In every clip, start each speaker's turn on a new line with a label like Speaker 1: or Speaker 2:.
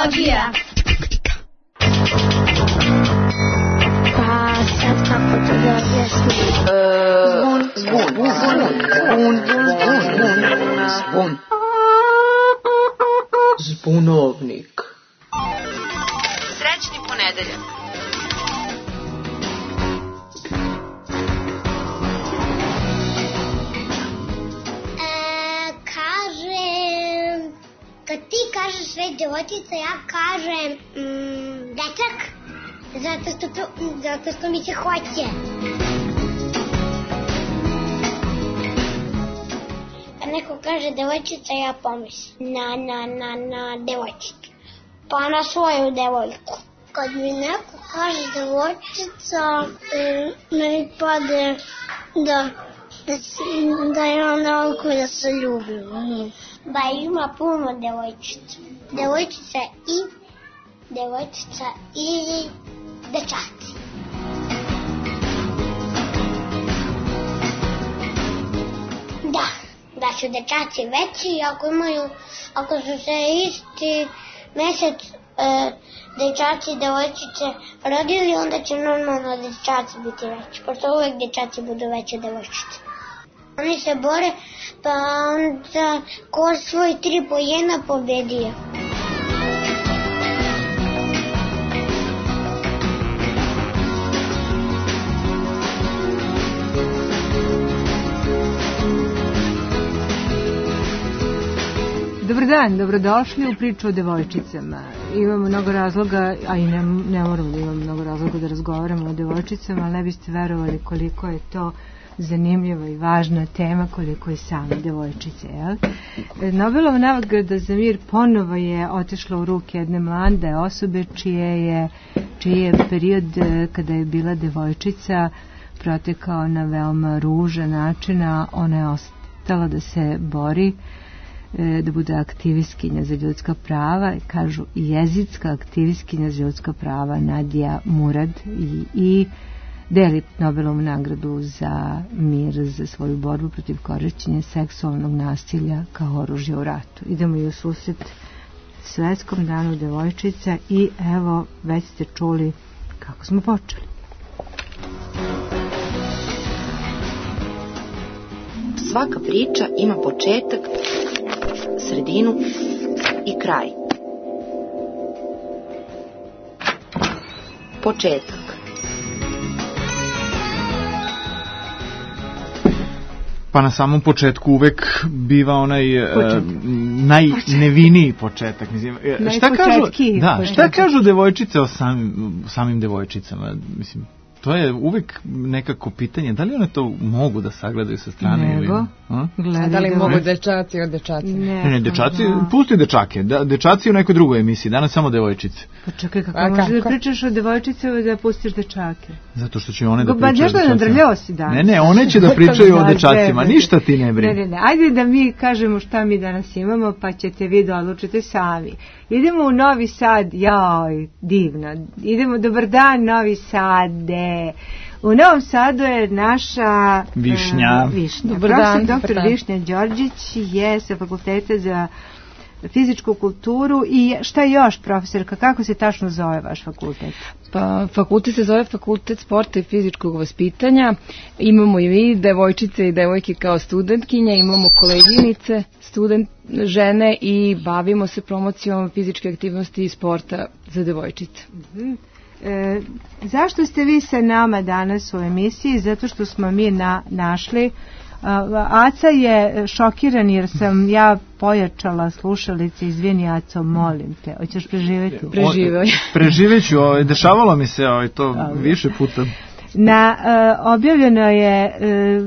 Speaker 1: tehnologija.
Speaker 2: Pa sad kako to da objasnim?
Speaker 3: Zvon. Zbunovnik.
Speaker 4: Srećni ponedeljak.
Speaker 2: Kad ti kažeš već devojčica, ja kažem dečak, zato što mi se hoće. Kad neko kaže devojčica, ja pomislim na devojčicu, pa na svoju devojku. Kad mi neko kaže devojčica, meni pade da je ona oko da se ljubim. Ba ima puno devojčica. Devojčica i dečaci. Da su dečaci veći, ako su se isti mesec dečaci i devojčice rodili, onda će normalno dečaci biti veći, pošto uvek dečaci budu veći od devojčice. Oni se bore, pa onda ko svoj 3 pojena pobedio.
Speaker 5: Dobar dan, dobrodošli u priču o devojčicama. Imamo mnogo razloga, a i ne moramo da imamo mnogo razloga da razgovaramo o devojčicama, ali ne biste verovali koliko je to zanimljiva i važna tema, koliko je same devojčice. Nobelova nagrada za mir ponovo je otišla u ruke jedne mlade osobe čiji je period kada je bila devojčica protekao na veoma ružan način, a ona je ostala da se bori, da bude aktivistkinja za ljudska prava, kažu jezitska aktivistkinja za ljudska prava Nadija Murad i deli Nobelovu nagradu za mir za svoju borbu protiv korišćenja seksualnog nasilja kao oružja u ratu. Idemo i u susret Svetskom danu devojčica i evo, već ste čuli kako smo počeli.
Speaker 4: Svaka priča ima početak, sredinu i kraj. Početak.
Speaker 6: Pa na samom početku uvek biva onaj najneviniji početak. Mislim, šta kažu devojčice o samim devojčicama? Mislim, to je uvek nekako pitanje, da li one to mogu da sagledaju sa strane?
Speaker 5: Nego,
Speaker 7: da li mogu dečaci od dečaci?
Speaker 6: Ne, dečaci, pusti dečake, dečaci u nekoj drugoj emisiji, danas samo devojčice.
Speaker 5: Pa čekaj, kako možeš da pričaš o devojčicama da pustiš dečake?
Speaker 6: Zato što će one da pričaju o
Speaker 5: dečacima. Ba, nadrljao si danas.
Speaker 6: Ne, one će da pričaju o dečacima, ništa ti ne brini.
Speaker 5: Ne, ajde da mi kažemo šta mi danas imamo, pa ćete vi da odlučite sami. Idemo u Novi Sad, joj, divno. Idemo, dobar dan, Novi Sade. U Novom Sadu je naša
Speaker 6: Višnja.
Speaker 5: Dobar dan. Doktor Višnja Đorđić je sa Fakulteta za fizičku kulturu i šta još, profesorka, kako se tačno zove vaš fakultet?
Speaker 7: Pa, fakultet se zove Fakultet sporta i fizičkog vaspitanja. Imamo i vi, devojčice i devojke kao studentkinje, imamo koleginice, žene i bavimo se promocijom fizičke aktivnosti i sporta za devojčice.
Speaker 5: Zašto ste vi sa nama danas u emisiji? Zato što smo mi našli Aca je šokiran jer sam ja pojačala slušalice. Izvini, Aco, molim te. Hoćeš preživjeti?
Speaker 6: Preživeću, dešavalo mi se to više puta.
Speaker 5: Objavljeno je,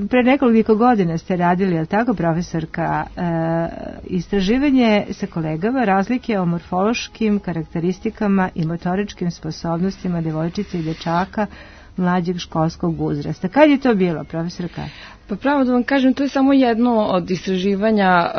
Speaker 5: pre nekoliko godina ste radili, je li tako, profesorka, istraživanje sa kolegama razlike o morfološkim karakteristikama i motoričkim sposobnostima devojčice i dečaka mlađeg školskog uzrasta. Kad je to bilo, profesorka?
Speaker 7: Pa pravo da vam kažem, to je samo jedno od istraživanja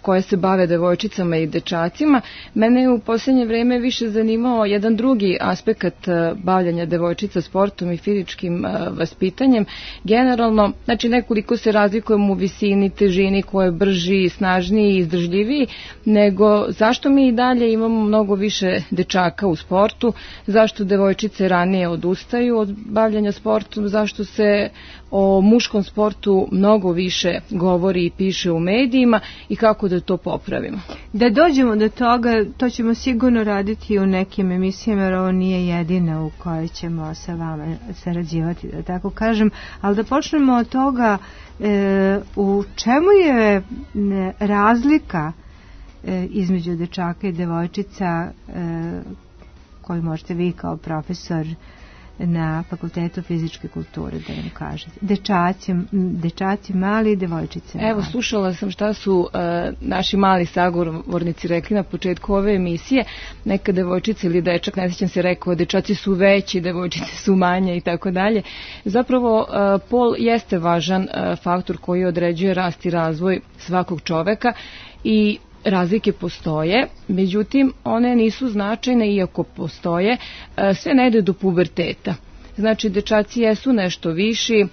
Speaker 7: koje se bave devojčicama i dečacima. Mene je u posljednje vreme više zanimao jedan drugi aspekt bavljanja devojčica sportom i fizičkim vaspitanjem. Generalno, znači nekoliko se razlikujemo u visini, težini, ko je brži, snažniji i izdržljiviji, nego zašto mi i dalje imamo mnogo više dečaka u sportu, zašto devojčice ranije odustaju od bavljanja sportom, zašto se o muškom sportu mnogo više govori i piše u medijima i kako da to popravimo.
Speaker 5: Da dođemo do toga, to ćemo sigurno raditi u nekim emisijama, jer ovo nije jedina u kojoj ćemo sa vama sarađivati, da tako kažem, ali da počnemo od toga u čemu je razlika između dečaka i devojčica koju možete vi kao profesor na Fakultetu fizičke kulture da vam kažete. Dečaci mali i devojčice mali.
Speaker 7: Evo, slušala sam šta su naši mali sagovornici rekli na početku ove emisije. Neka devojčica ili dečak, ne sjećam se, rekao dečaci su veći, devojčice su manje i tako dalje. Zapravo, pol jeste važan faktor koji određuje rast i razvoj svakog čoveka i razlike postoje, međutim one nisu značajne iako postoje, sve ne ide do puberteta. Znači dečaci jesu nešto viši,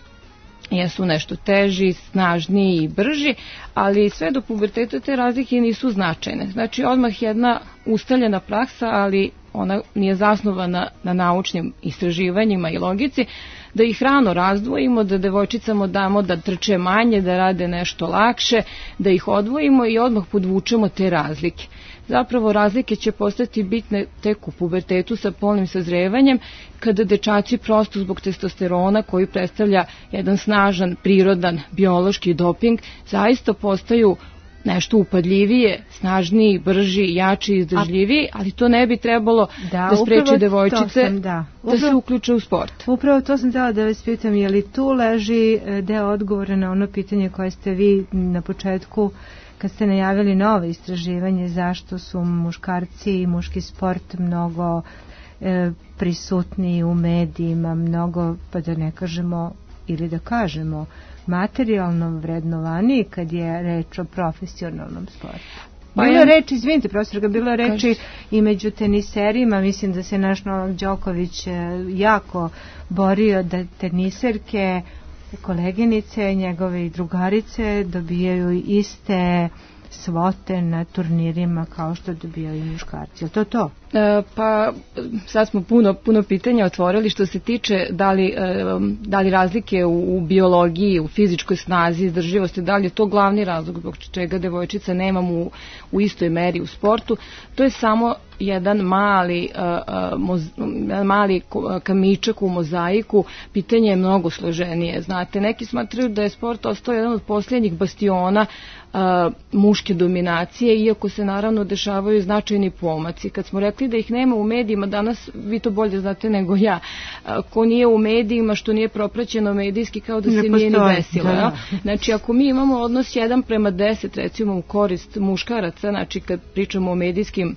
Speaker 7: jesu nešto teži, snažniji i brži, ali sve do puberteta te razlike nisu značajne. Znači odmah jedna ustaljena praksa, ali ona nije zasnovana na naučnim istraživanjima i logici, da ih rano razdvojimo, da devojčicama damo da trče manje, da rade nešto lakše, da ih odvojimo i odmah podvučemo te razlike. Zapravo razlike će postati bitne tek u pubertetu sa polnim sazrevanjem, kada dečaci prosto zbog testosterona koji predstavlja jedan snažan, prirodan, biološki doping, zaista postaju nešto upadljivije, snažniji, brži, jači, izdržljiviji, ali to ne bi trebalo da spreči devojčice da se uključe u sport.
Speaker 5: Upravo to sam htjela da vas pitam, je li tu leži deo odgovora na ono pitanje koje ste vi na početku, kad ste najavili novo istraživanje, zašto su muškarci i muški sport mnogo prisutniji u medijima, mnogo, pa da ne kažemo, ili da kažemo, materijalno vrednovaniji kad je reč o profesionalnom sportu. Bilo je reči, izvinite profesor, bilo je reči i među teniserima, mislim da se naš Novak Đoković jako borio da teniserke, koleginice, njegove i drugarice dobijaju iste svote na turnirima kao što dobijaju i muškarci. Je to?
Speaker 7: Pa sad smo puno pitanja otvorili što se tiče da li razlike u biologiji, u fizičkoj snazi, izdržljivosti, da li je to glavni razlog zbog čega devojčica nemamo u istoj meri u sportu. To je samo jedan mali kamičak u mozaiku. Pitanje je mnogo složenije. Znate, neki smatraju da je sport ostao jedan od posljednjih bastiona muške dominacije, iako se naravno dešavaju značajni pomaci. Kad smo rekli da ih nema u medijima, danas vi to bolje znate nego ja, ko nije u medijima, što nije propraćeno medijski, kao da se nije ni desilo. Ja? Znači, ako mi imamo odnos 1:10, recimo u korist muškaraca, znači kad pričamo o medijskim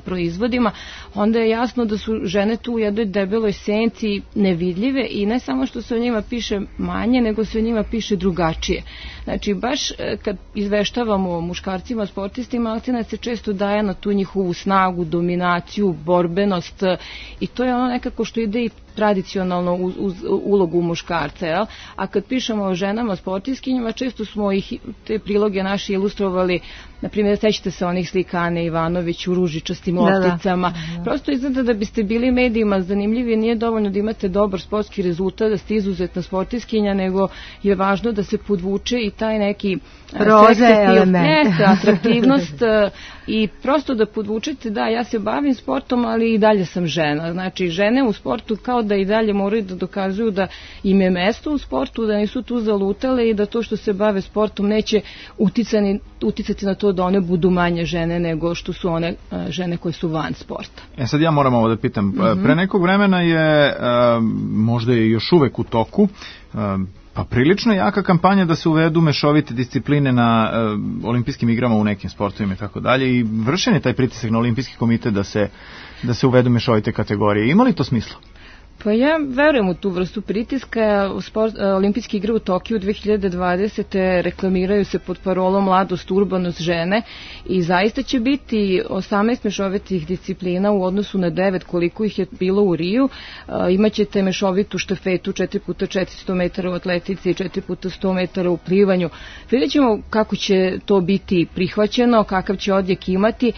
Speaker 7: proizvodima, onda je jasno da su žene tu u jednoj debeloj senci nevidljive i ne samo što se o njima piše manje, nego se o njima piše drugačije. Znači, baš kad izveštavamo o muškarcima, sportistima, akcenat se često daje na tu njihovu snagu, dominaciju, borbenost i to je ono nekako što ide i tradicionalno uz ulogu muškarca, jel? A kad pišemo o ženama sportiskinjama, često smo te priloge naše ilustrovali, na primjer, sećate se onih slika Ane Ivanović u ružičastim lopticama. Prosto izgleda da biste bili medijima zanimljivi, nije dovoljno da imate dobar sportski rezultat, da ste izuzetna sportiskinja, nego je važno da se podvuče i taj neki atraktivnost i prosto da podvučete, da, ja se bavim sportom, ali i dalje sam žena. Znači, žene u sportu kao da i dalje moraju da dokazuju da im je mesto u sportu, da nisu tu zalutale i da to što se bave sportom neće uticati na to da one budu manje žene nego što su one žene koje su van sporta.
Speaker 6: Sad ja moram ovo da pitam. Pre nekog vremena je, možda je još uvek u toku, pa prilično jaka kampanja da se uvedu mešovite discipline na olimpijskim igrama u nekim sportovima i tako dalje, i vršen je taj pritisak na olimpijski komitet da se uvedu mešovite kategorije. Ima li to smisla?
Speaker 7: Pa ja verujem u tu vrstu pritiska. Olimpijske igre u Tokiju 2020. reklamiraju se pod parolom mladost, urbanost, žene i zaista će biti 18 mešovitih disciplina u odnosu na 9 koliko ih je bilo u Riju. Imaćete mešovitu štafetu 4x400 metara u atletici i 4x100 metara u plivanju. Vidjet ćemo kako će to biti prihvaćeno, kakav će odjek imati.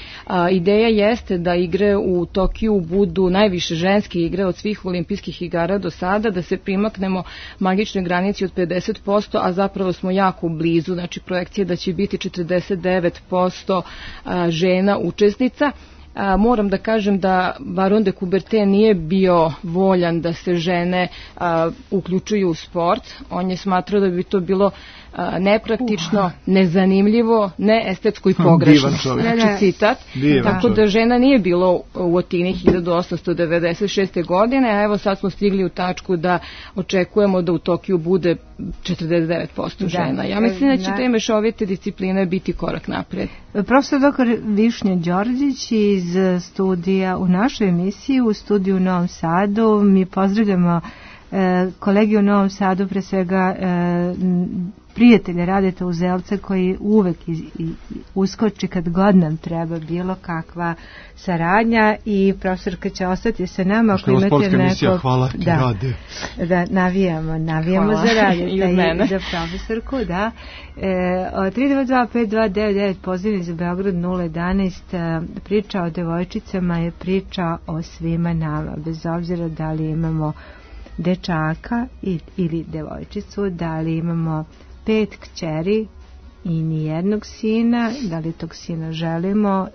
Speaker 7: Ideja jeste da igre u Tokiju budu najviše ženske igre od svih olimpijskih igara do sada, da se primaknemo magičnoj granici od 50%, a zapravo smo jako blizu, znači projekcija da će biti 49% žena učesnica. Moram da kažem da Baron de Coubertin nije bio voljan da se žene uključuju u sport. On je smatrao da bi to bilo nepraktično, nezanimljivo, neestetsko i pogrešno. Znači citat. Tako da žena nije bilo u Atini 1896. godine, a evo sad smo stigli u tačku da očekujemo da u Tokiju bude 49% žena. Ja mislim da će te mešovite discipline biti korak napred.
Speaker 5: Profesor dr. Višnja Đorđić iz studija u našoj emisiji, u studiju u Novom Sadu. Mi pozdravljamo kolegi u Novom Sadu, pre svega prijatelje Radeta Uzelca koji uvek uskoči kad god nam treba bilo kakva saradnja i profesorka će ostati sa nama ako imate neko...
Speaker 6: Hvala ti, Rade.
Speaker 5: Da, navijamo za Radeta i za profesorku, da. 322-5299, pozivni za Beograd 011, priča o devojčicama je priča o svima nama, bez obzira da li imamo dečaka ili devojčicu, da li imamo 5 kćeri i nijednog sina, da li tog sina želimo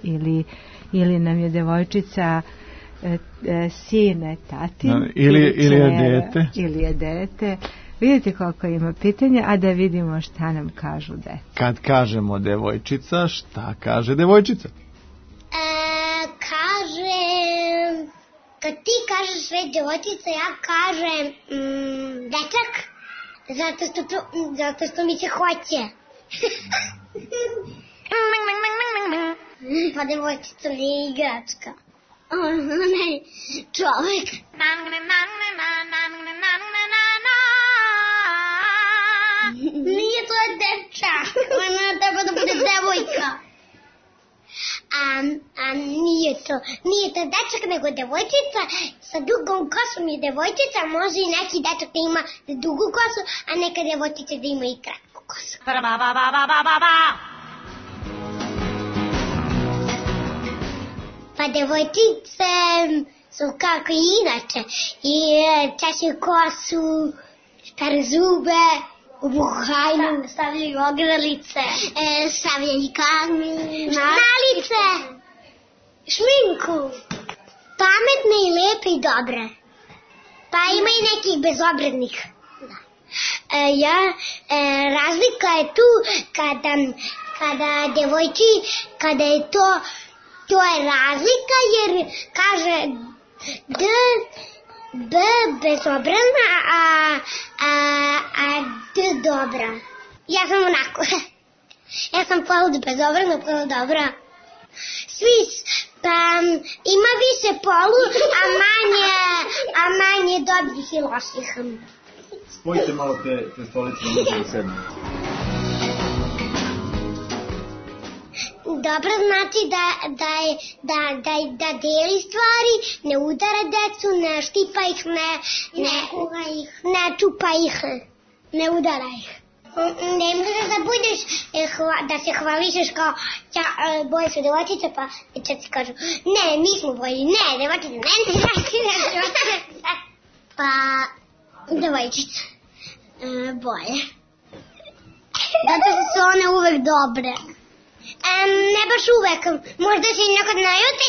Speaker 5: ili nam je devojčica sine, tatin
Speaker 6: ili je dete.
Speaker 5: Ili je dete. Vidite koliko ima pitanja, a da vidimo šta nam kažu deca.
Speaker 6: Kad kažemo devojčica, šta kaže devojčica?
Speaker 2: Kad ti kažeš sve devojčica, ja kažem dečak, zato što mi se hoće. Pa devojčica nije igračka. Ona je čovek. Nije to dečak. Ona treba da bude devojka. A nije to dečak, nego devojčica sa dugom kosom je devojčica, može i neki dečak da ima dugu kosu, a neka devojčica da ima i kratku kosu. Pa devojčice su kako i inače, i češe kosu, špare zube, obuhajnu, stavljaju ogralice, stavljaju nalice, šminku. Pametne i lepe i dobre. Pa ima i nekih bezobrednih. Razlika je tu kada devojči, kada je to je razlika jer kaže B bezobrazna, a D dobra. Ja sam onako. Ja sam polu bezobrazna, polu dobra. Svi, ima više polu, a manje dobrih i loših.
Speaker 6: Spojite malo te stolice na možemo sedmi.
Speaker 2: Dobro znači da deli stvari, ne udara decu, ne štipa ih, ne čupa ih, ne udara ih. Ne možeš da budeš, da se hvališeš kao boje su devojčice, pa dečaci kažu, ne, mi smo boji, ne, devojčice, ne, pa devojčice boje. Zato su one uvek dobre. Ne baš uvek, možda se i nekad najuti,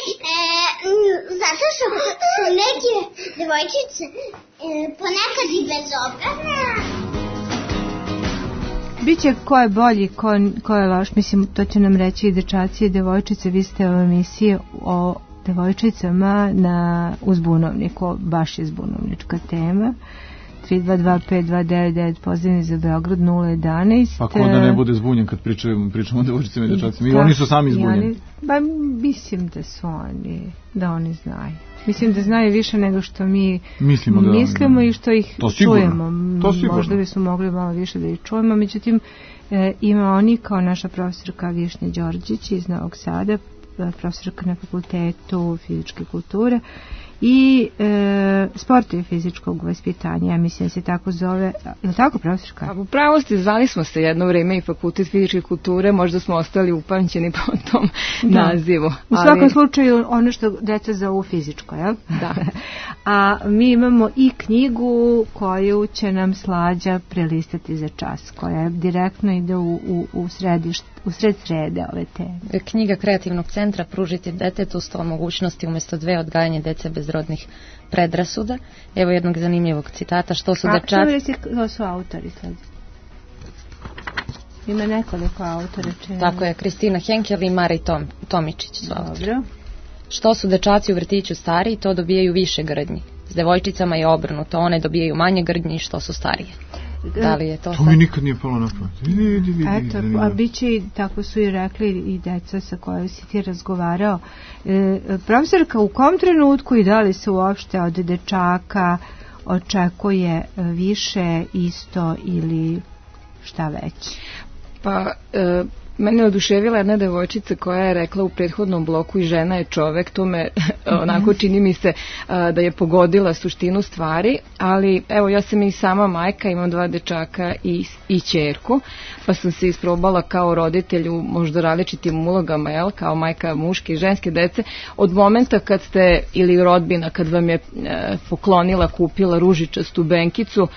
Speaker 2: zato što su neke devojčice ponekad i bezobrazne.
Speaker 5: Biće ko je bolji, ko je loš, mislim, to će nam reći i dečaci i devojčice. Vi ste u emisiji o devojčicama na Uzbunovniku, baš je zbunovnička tema. 322-529-9, pozivni za Beograd 011.
Speaker 6: Pa ko da ne bude zbunjen kad pričamo o devojčicama i dečacima. I oni su sami zbunjeni.
Speaker 5: Mislim da oni znaju. Mislim da znaju više nego što mi
Speaker 6: mislimo
Speaker 5: i što ih čujemo. Možda bi su mogli malo više da ih čujemo, međutim ima oni kao naša profesorka Višnja Đorđić iz Novog Sada, profesorka na fakultetu fizičke kulture i sporta i fizičkog vaspitanja, ja mislim da se tako zove, je li tako profesorka?
Speaker 7: Upravo ste, zvali smo se jedno vreme i fakultet fizičke kulture, možda smo ostali upamćeni po tom nazivu.
Speaker 5: U svakom slučaju ono što deca zovu fizičko, jel?
Speaker 7: Da.
Speaker 5: A mi imamo i knjigu koju će nam Slađa prelistati za čas, koja direktno ide u sred srede ove teme.
Speaker 1: Knjiga Kreativnog centra Pružiti detetu 100 mogućnosti umjesto 2 odgajanje dece bez rodnih predrasuda. Evo jednog zanimljivog citata. Što su dečaci...
Speaker 5: To su autori sad. Ima nekoliko autora.
Speaker 1: Tako je, Kristina Henkel i Marij Tomičić su autori. Dobro. Što su dečaci u vrtiću stariji, to dobijaju više grdnji. S devojčicama je obrnuto, one dobijaju manje grdnji što su starije. Da li je to
Speaker 6: mi nikad nije palo na pamet.
Speaker 5: Eto, a bit će, tako su i rekli i deca sa kojoj si ti razgovarao. Profesorka, u kom trenutku i da li se uopšte od dečaka očekuje više, isto ili šta već?
Speaker 7: Pa... Mene je oduševila jedna devojčica koja je rekla u prethodnom bloku i žena je čovek, to me onako čini mi se da je pogodila suštinu stvari, ali evo ja sam i sama majka, imam 2 dečaka i ćerku, pa sam se isprobala kao roditelj u možda različitim ulogama, jel, kao majka muške i ženske dece, od momenta kad ste, ili rodbina, kad vam je poklonila, kupila ružičastu benkicu,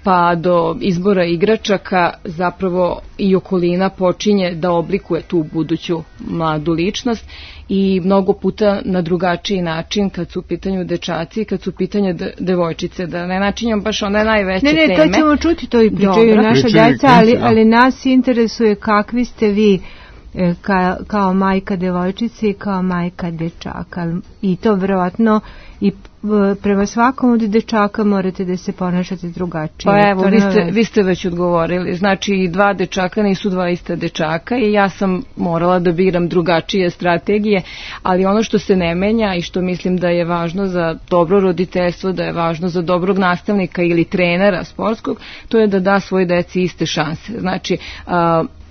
Speaker 7: pa do izbora igračaka zapravo i okolina počinje da oblikuje tu buduću mladu ličnost i mnogo puta na drugačiji način kad su u pitanju dečaci i kad su u pitanju devojčice, da ne načinjam baš one najveće teme.
Speaker 5: Ne, to ćemo čuti, to i pričaju naša djeca, ali nas interesuje kakvi ste vi kao majka devojčice i kao majka dečaka i to vjerojatno i prema svakom od dečaka morate da se ponašate drugačije.
Speaker 7: Pa evo, vi ste već odgovorili. Znači, 2 dečaka nisu 2 ista dečaka i ja sam morala da biram drugačije strategije, ali ono što se ne menja i što mislim da je važno za dobro roditeljstvo, da je važno za dobrog nastavnika ili trenera sportskog, to je da da svoje deci iste šanse. Znači,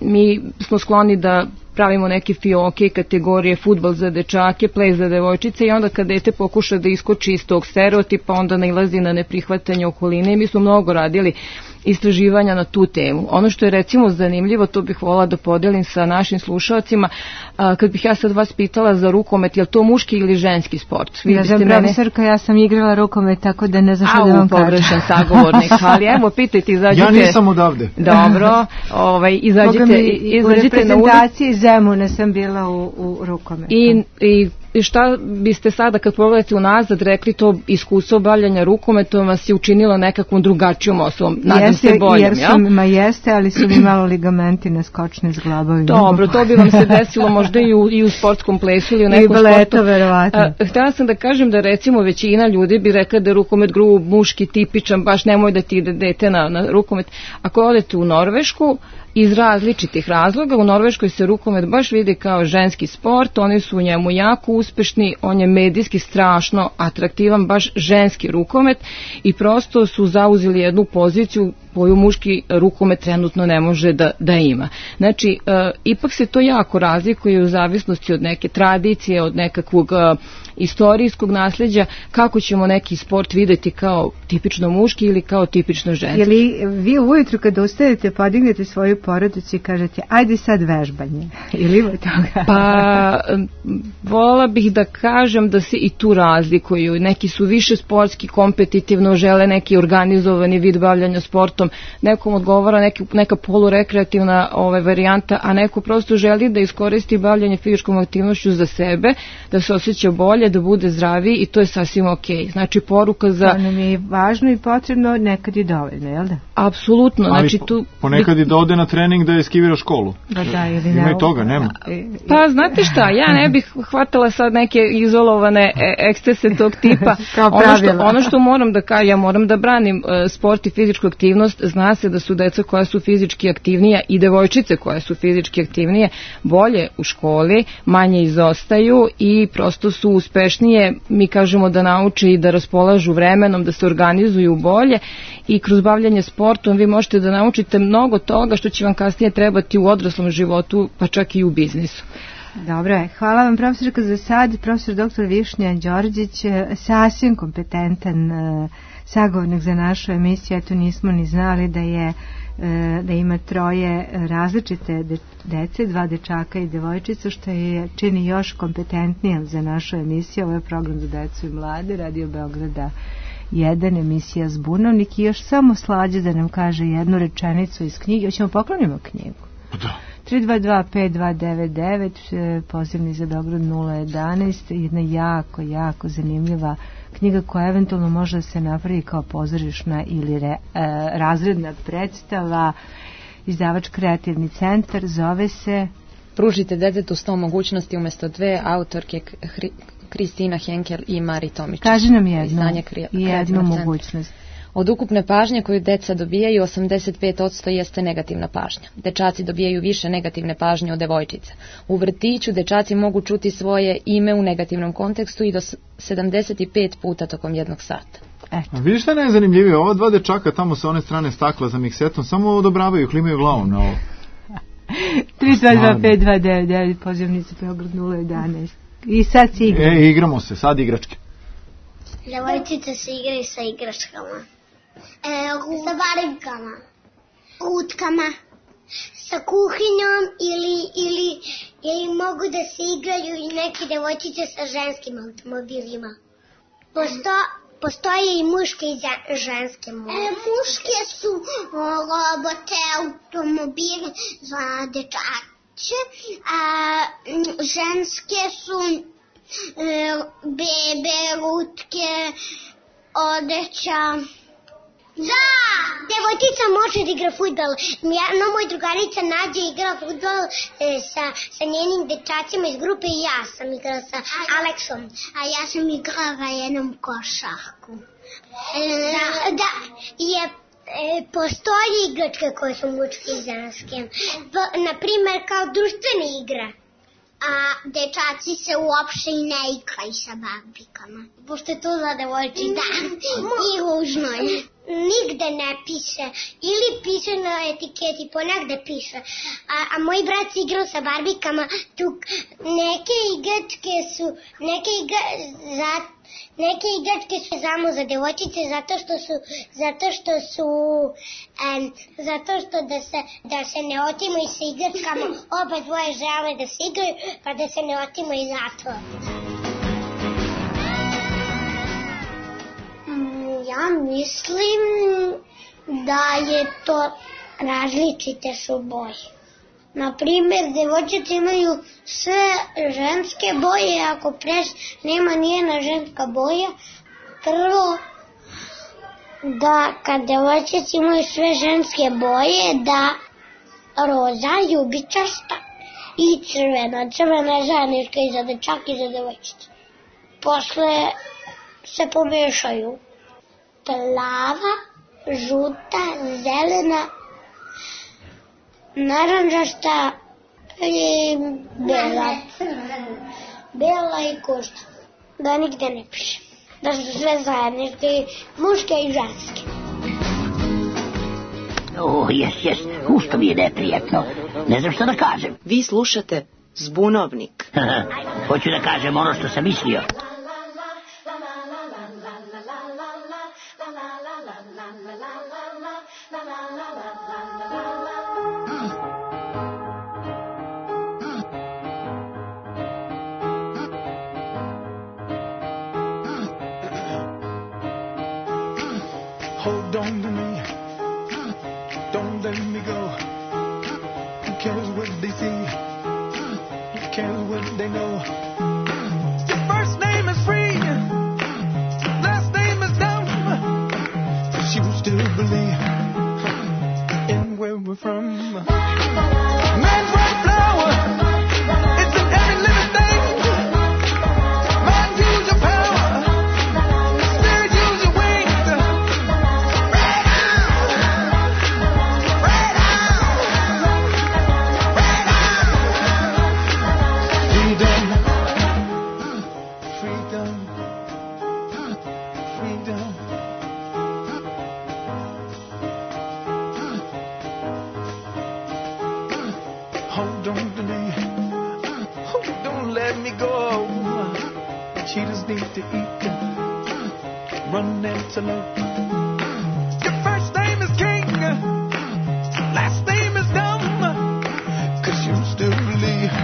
Speaker 7: mi smo skloni da pravimo neke fioke, kategorije, fudbal za dečake, ples za devojčice i onda kad dete pokuša da iskoči iz tog stereotipa, onda nailazi na neprihvatanje okoline i mi smo mnogo radili istraživanja na tu temu. Ono što je recimo zanimljivo, to bih volila da podelim sa našim slušalcima, kad bih ja sad vas pitala za rukomet, je li to muški ili ženski sport?
Speaker 5: Ja sam profesorka, ja sam igrala rukomet, tako da ne znam što da vam kažem.
Speaker 7: Pogrešan sagovornik, ali evo, pitajte, izađite.
Speaker 6: Ja nisam odavde.
Speaker 7: Dobro, izađite
Speaker 5: u reprezentaciji Zemuna sam bila u rukometu.
Speaker 7: I šta biste sada kad pogledate unazad rekli, to iskustvo bavljanja rukometom vas je učinilo nekakvom drugačijom osobom, nadam se boljom,
Speaker 5: ja? Jeste, ali su mi malo ligamenti naskočni s glabovima.
Speaker 7: Dobro, to bi vam se desilo možda i u sportskom plesu ili u nekom sportu.
Speaker 5: I baleto, verovatno.
Speaker 7: Htjela sam da kažem da recimo većina ljudi bi rekla da je rukomet grub, muški, tipičan, baš nemoj da ti ide dete na rukomet. Ako odete u Norvešku, iz različitih razloga, u Norveškoj se rukomet baš vidi kao ženski sport, oni su u njemu jako uspešni, on je medijski strašno atraktivan, baš ženski rukomet i prosto su zauzeli jednu poziciju koju muški rukomet trenutno ne može da ima. Znači, ipak se to jako razlikuje u zavisnosti od neke tradicije, od nekakvog istorijskog nasljeđa, kako ćemo neki sport videti kao tipično muški ili kao tipično ženski.
Speaker 5: Jeli vi ujutru kada ustajete podignete svoju porodicu i kažete ajde sad vežbanje? Ili ima toga?
Speaker 7: Pa, voljela bih da kažem da se i tu razlikuju. Neki su više sportski, kompetitivno, žele neki organizovani vid bavljanja sportom. sportom, nekom odgovara neka polurekreativna varijanta, a neko prosto želi da iskoristi bavljanje fizičkom aktivnošću za sebe, da se osjeća bolje, da bude zdraviji i to je sasvim okej. Znači poruka za...
Speaker 5: To nam je važno i potrebno, nekad je dovoljno, jel da?
Speaker 7: Apsolutno.
Speaker 6: Ali
Speaker 7: znači,
Speaker 6: ponekad i da ode na trening da je skivira školu.
Speaker 5: Da, ili
Speaker 6: ima i toga, nema.
Speaker 7: Pa znate šta, ja ne bih hvatala sad neke izolovane ekscese tog tipa. Ono što moram da kažem, ja moram da branim sport i fizičku aktivnost. Zna se da su deca koja su fizički aktivnija i devojčice koje su fizički aktivnije bolje u školi, manje izostaju i prosto su uspešnije, mi kažemo da nauče i da raspolažu vremenom, da se organizuju bolje i kroz bavljanje sportom vi možete da naučite mnogo toga što će vam kasnije trebati u odraslom životu, pa čak i u biznisu.
Speaker 5: Dobro je. Hvala vam, profesorka, za sad. Profesor dr. Višnja Đorđić, sasvim kompetentan sagovornik za našu emisiju. Eto, nismo ni znali da ima 3 različite dece, 2 dečaka i devojčica, što je čini još kompetentnijom za našu emisiju. Ovo je program za decu i mlade, Radio Beograda 1, emisija Zbunovnik, i još samo Slađe da nam kaže jednu rečenicu iz knjige. Hoćemo poklonimo knjigu?
Speaker 6: Da.
Speaker 5: 322-5299, pozivni za Beograd 011, jedna jako zanimljiva knjiga koja eventualno može da se napravi kao pozorišna ili razredna predstava. Izdavač Kreativni centar, zove se
Speaker 1: Pružite detetu 100 mogućnosti umjesto 2, autorke Kristina Henkel i Mari Tomičić.
Speaker 5: Kaži nam jednu mogućnost.
Speaker 1: Od ukupne pažnje koju deca dobijaju, 85% jeste negativna pažnja. Dečaci dobijaju više negativne pažnje od devojčica. U vrtiću dečaci mogu čuti svoje ime u negativnom kontekstu i do 75 puta tokom jednog sata.
Speaker 6: Vidiš šta je najzanimljivije? Ova 2 dečaka tamo sa one strane stakla za miksetom samo odobravaju, klimaju glavom na ovo.
Speaker 5: 322-5299, pozivnica Beograd 011. I sad se igramo.
Speaker 6: Igramo se, sad igračke.
Speaker 2: Devojčice se igraju sa igračkama. Sa barikama. Utkama. Sa kuhinjom ili mogu da se igraju i neke devojčice sa ženskim automobilima. Postoje i muške i ženske mobilne. Muške su robote, automobili za dečače, a ženske su bebe, lutke, odeća. Da! Devojčica može da igra fudbal. Moj drugarica Nađa igra fudbal sa njenim dečacima iz grupe i ja sam igrala sa Aleksom. A ja sam igrala jednom košarku. Da, postoje igračke koje su muške i ženske. Naprimer, kao društvene igre. A dečaci se uopšte i ne igraju sa barbikama. Pošto je to za devojčice. Da, i ružno je. Nigde ne piše. Ili piše na etiketi, ponegde piše. A moj brat se igrao sa barbikama. Neke igračke su samo za devojčice zato što da se ne otimaju sa igračkama, oba dvoje žele da se igraju, pa da se ne otimaju zato. Ja mislim da je to različite su boje. Naprimer, devojčice imaju sve ženske boje, ako nema nijedna ženska boja. Prvo, da kad devojčice imaju sve ženske boje, da roza, ljubičasta i crvena. Crvena je zajednička i za dečake i za devojčice. Posle se pomešaju plava, žuta, zelena, naranđasta i bela. Bela i košta. Da nigde ne piše. Da su sve zajedničke, muške i ženske.
Speaker 8: Jes, ušto mi je neprijatno. Ne znam što da kažem.
Speaker 4: Vi slušate Zbunovnik.
Speaker 8: Hoću da kažem ono što sam mislio.
Speaker 9: Hold on to me, care what they know. Your first name is free, last name is dumb. But you still believe in where we're from. Man's right flower, it's in every living thing. Mind, use your power. Spirit, use your wings. Right out, right out, right out. Freedom, freedom, freedom. Hold on to me, oh, don't let me go. Cheetahs need to eat, run antelope. Your first name is king, last name is dumb. 'Cause you still believe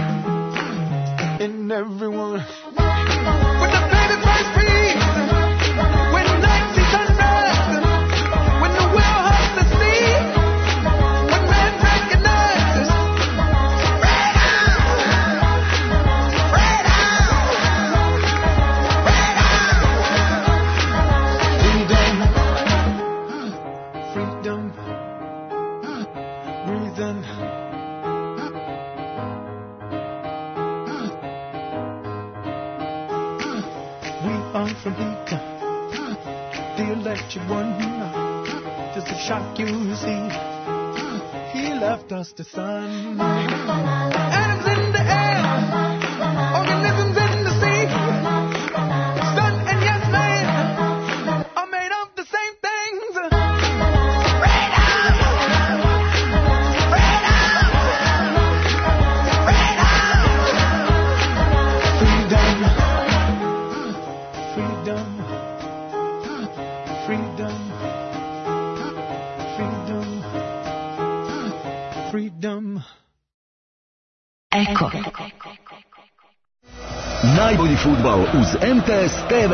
Speaker 9: in everyone. When the baby first breathes, when night sees sunrise, when the whale hugs the sea, when man recognizes. Right out, right out, right out. Freedom, freedom, breathe in. We are from heat, the electric one. Just a shock you see. He left us the sun. Atoms in the air, organisms in the sea. Sun and yes man are made of the same things. Right out, right out, right out. Freedom, freedom, freedom, freedom, freedom.
Speaker 10: Eko. Najbolji fudbal uz MTS TV.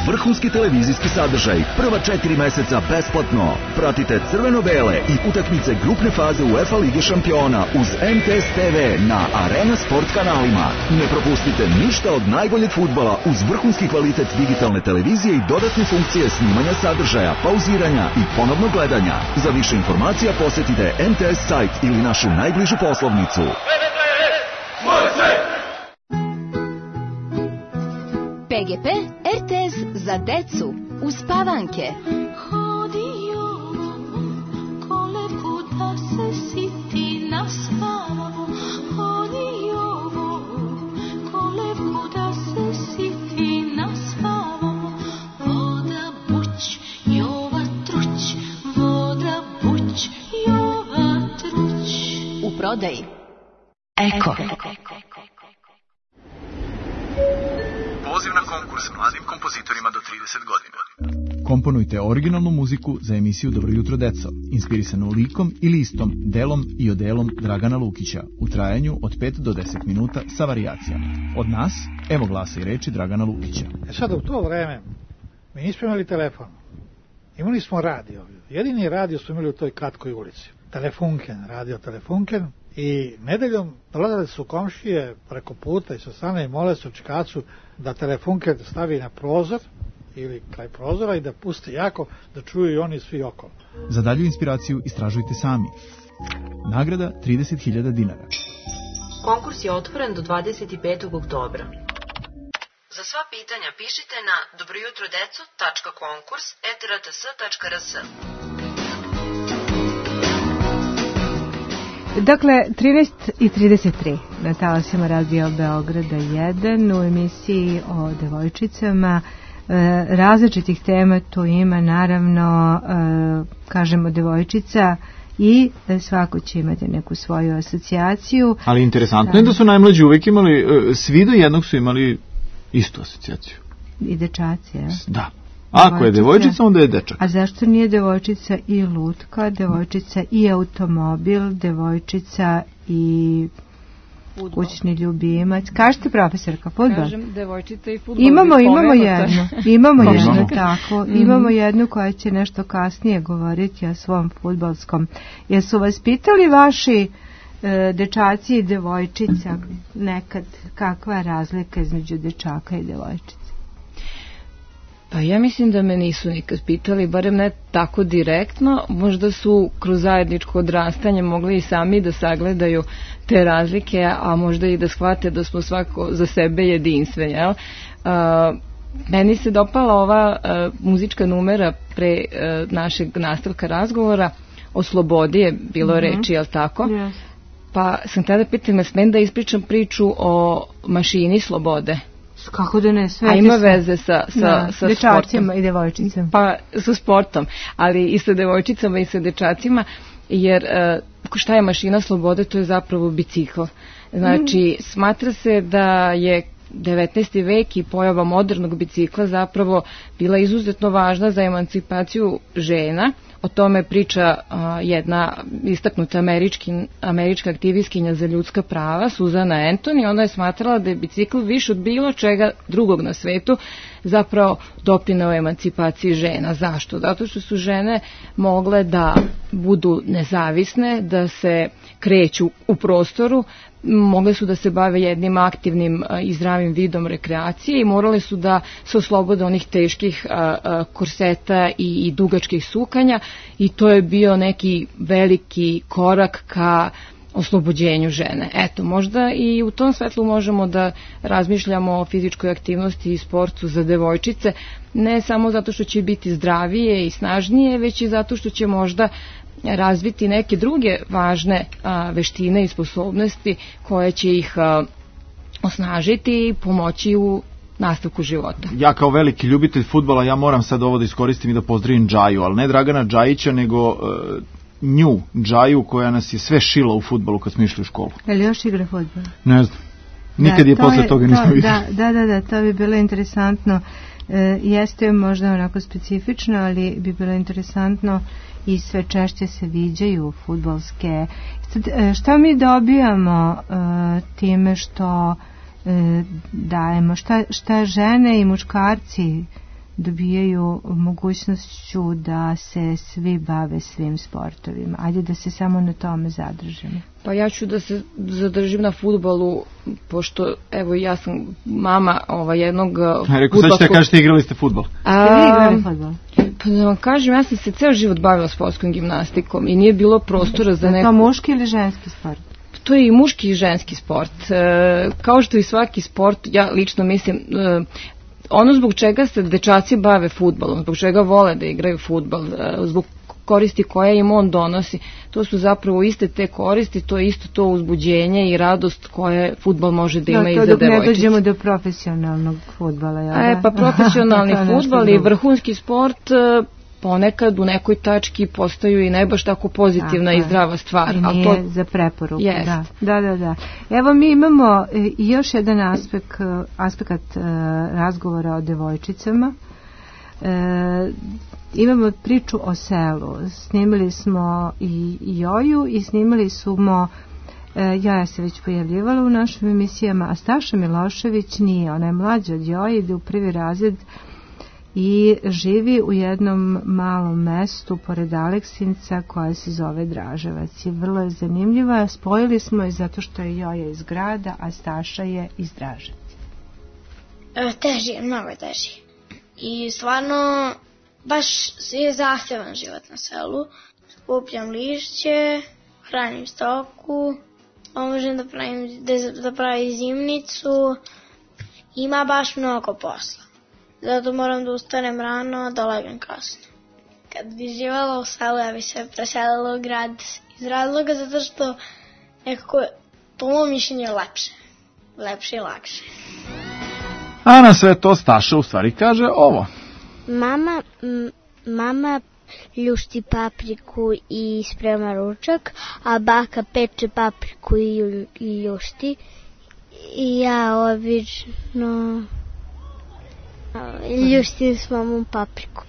Speaker 10: Vrhunski televizijski sadržaj. Prva 4 meseca besplatno. Pratite crveno-bele i utakmice grupne faze UEFA Lige šampiona uz MTS TV na Arena Sport kanalima. Ne propustite ništa od najboljeg fudbala uz vrhunski kvalitet digitalne televizije i dodatne funkcije snimanja sadržaja, pauziranja i ponovnog gledanja. Za više informacija posjetite MTS sajt ili našu najbližu poslovnicu.
Speaker 11: PGP RTS za decu uz Pavanke. U prodaji Eko.
Speaker 6: Poziv na konkurs mladim kompozitorima do 30 godina. Komponujte originalnu muziku za emisiju Dobro jutro deco, inspirisanu likom i listom, delom i odelom Dragana Lukića, u trajanju od 5 do 10 minuta sa varijacijama. Od nas, evo glasa i reči Dragana Lukića.
Speaker 12: Sada u to vreme mi nismo imali telefon, imali smo radio. Jedini radio smo imali u toj kratkoj ulici. Telefunken, radio Telefunken. I nedeljom dolazili su komšije preko puta i sa strane i mole se u Čikacu da Telefunken stavi na prozor ili kraj prozora i da pusti jako da čuju i oni svi okolo.
Speaker 6: Za dalju inspiraciju istražujte sami. Nagrada 30.000 dinara.
Speaker 4: Konkurs je otvoren do 25. oktobra. Za sva pitanja pišite na dobrojutrodeco.konkurs@rts.rs.
Speaker 5: Dakle, 13:33 na talasima Radio Beograda 1 u emisiji o devojčicama. Različitih tema tu ima, naravno, kažemo devojčica i svako će imati neku svoju asocijaciju.
Speaker 6: Ali interesantno je da su najmlađi uvek imali, svi do jednog su imali istu asocijaciju.
Speaker 5: I dečaci, je?
Speaker 6: Da. Ako je devojčica, onda je dečak.
Speaker 5: A zašto nije devojčica i lutka, devojčica i automobil, devojčica i kućni ljubimac? Kažete, profesorka, fudbal? Kažem,
Speaker 7: devojčica i fudbal.
Speaker 5: Imamo jednu, tako. Imamo jednu koja će nešto kasnije govoriti o svom fudbalskom. Jesu vas pitali vaši dečaci i devojčica, nekad kakva je razlika između dečaka i devojčica?
Speaker 7: Pa ja mislim da me nisu nikad pitali, barem ne tako direktno, možda su kroz zajedničko odrastanje mogli i sami da sagledaju te razlike, a možda i da shvate da smo svako za sebe jedinstveni, jel? Meni se dopala ova muzička numera pre našeg nastavka razgovora, o slobodi je bilo reči, jel tako?
Speaker 5: Yes.
Speaker 7: Pa sam tada pitala, smem da ispričam priču o mašini slobode?
Speaker 5: Kako da ne, sve.
Speaker 7: A ima veze sa
Speaker 5: dečacima i devojčicama.
Speaker 7: Pa sa sportom, ali i sa devojčicama i sa dečacima, jer šta je mašina slobode, to je zapravo bicikl. Znači, smatra se da je 19. vek i pojava modernog bicikla zapravo bila izuzetno važna za emancipaciju žena. O tome priča jedna istaknuta američka aktivistkinja za ljudska prava, Suzana Anthony. Ona je smatrala da je bicikl više od bilo čega drugog na svetu zapravo doprineo emancipaciji žena. Zašto? Zato što su žene mogle da budu nezavisne, da se kreću u prostoru, mogle su da se bave jednim aktivnim i zdravim vidom rekreacije i morale su da se oslobode onih teških korseta i dugačkih sukanja, i to je bio neki veliki korak ka oslobođenju žene. Eto, možda i u tom svetlu možemo da razmišljamo o fizičkoj aktivnosti i sportu za devojčice, ne samo zato što će biti zdravije i snažnije, već i zato što će možda razviti neke druge važne veštine i sposobnosti koje će ih osnažiti i pomoći u nastavku života.
Speaker 6: Ja kao veliki ljubitelj fudbala, ja moram sad ovo da iskoristim i da pozdravim Džaju, ali ne Dragana Džajića, nego nju, Džaju, koja nas je sve šila u fudbalu kad smo išli u školu.
Speaker 5: Je li još igra fudbal?
Speaker 6: Ne znam. Nikad je posle toga nismo vidjeli.
Speaker 5: Da, to bi bilo interesantno. Jeste možda onako specifično, ali bi bilo interesantno i sve češće se viđaju fudbalske. Šta mi dobijamo time što dajemo? Šta žene i muškarci dobijaju mogućnošću da se svi bave svim sportovima? Ajde da se samo na tome zadržimo.
Speaker 7: Pa ja ću da se zadržim na fudbalu, pošto evo ja sam mama jednog fudbalskog...
Speaker 6: Rekao, sad ćete kažete igrali ste fudbal.
Speaker 5: Igrali fudbal?
Speaker 7: Pa da vam kažem, ja sam se ceo život bavila sportskom gimnastikom i nije bilo prostora za neko...
Speaker 5: Je to muški ili ženski sport?
Speaker 7: To je i muški i ženski sport. Kao što i svaki sport, ja lično mislim... Ono zbog čega se dečaci bave fudbalom, zbog čega vole da igraju fudbal, zbog koristi koje im on donosi, to su zapravo iste te koristi, to je isto to uzbuđenje i radost koje fudbal može da ima i za devojčice.
Speaker 5: Dok ne dođemo do profesionalnog fudbala.
Speaker 7: Pa profesionalni fudbal i vrhunski sport ponekad u nekoj tački postaju i ne baš tako pozitivna i zdrava stvar.
Speaker 5: I nije za preporuku. Da. Evo mi imamo još jedan aspekt razgovora o devojčicama. Imamo priču o selu. Snimili smo i Joju i snimali smo Joja se već pojavljivala u našim emisijama, a Staša Milošević nije. Ona je mlađa od Joje, ide u prvi razred i živi u jednom malom mestu pored Aleksinca koje se zove Draževac. I vrlo je zanimljiva. Spojili smo je zato što je Joja iz grada, a Staša je iz Draževca.
Speaker 2: Teži je, mnogo je teži. I stvarno baš je zahtevan život na selu. Skupljam lišće, hranim stoku, pomožem da pravim zimnicu. Ima baš mnogo posla. Zato moram da ustanem rano, da legnem kasno. Kad bi živala u selu, ja bi se preselila u grad iz razloga zato što nekako, po mojom mišljenju, je lepše. Lepše i lakše.
Speaker 6: A na sve to Staša u stvari kaže ovo.
Speaker 13: Mama ljušti papriku i sprema ručak, a baka peče papriku i ljušti. I ja obično ljuštim s mamom papriku.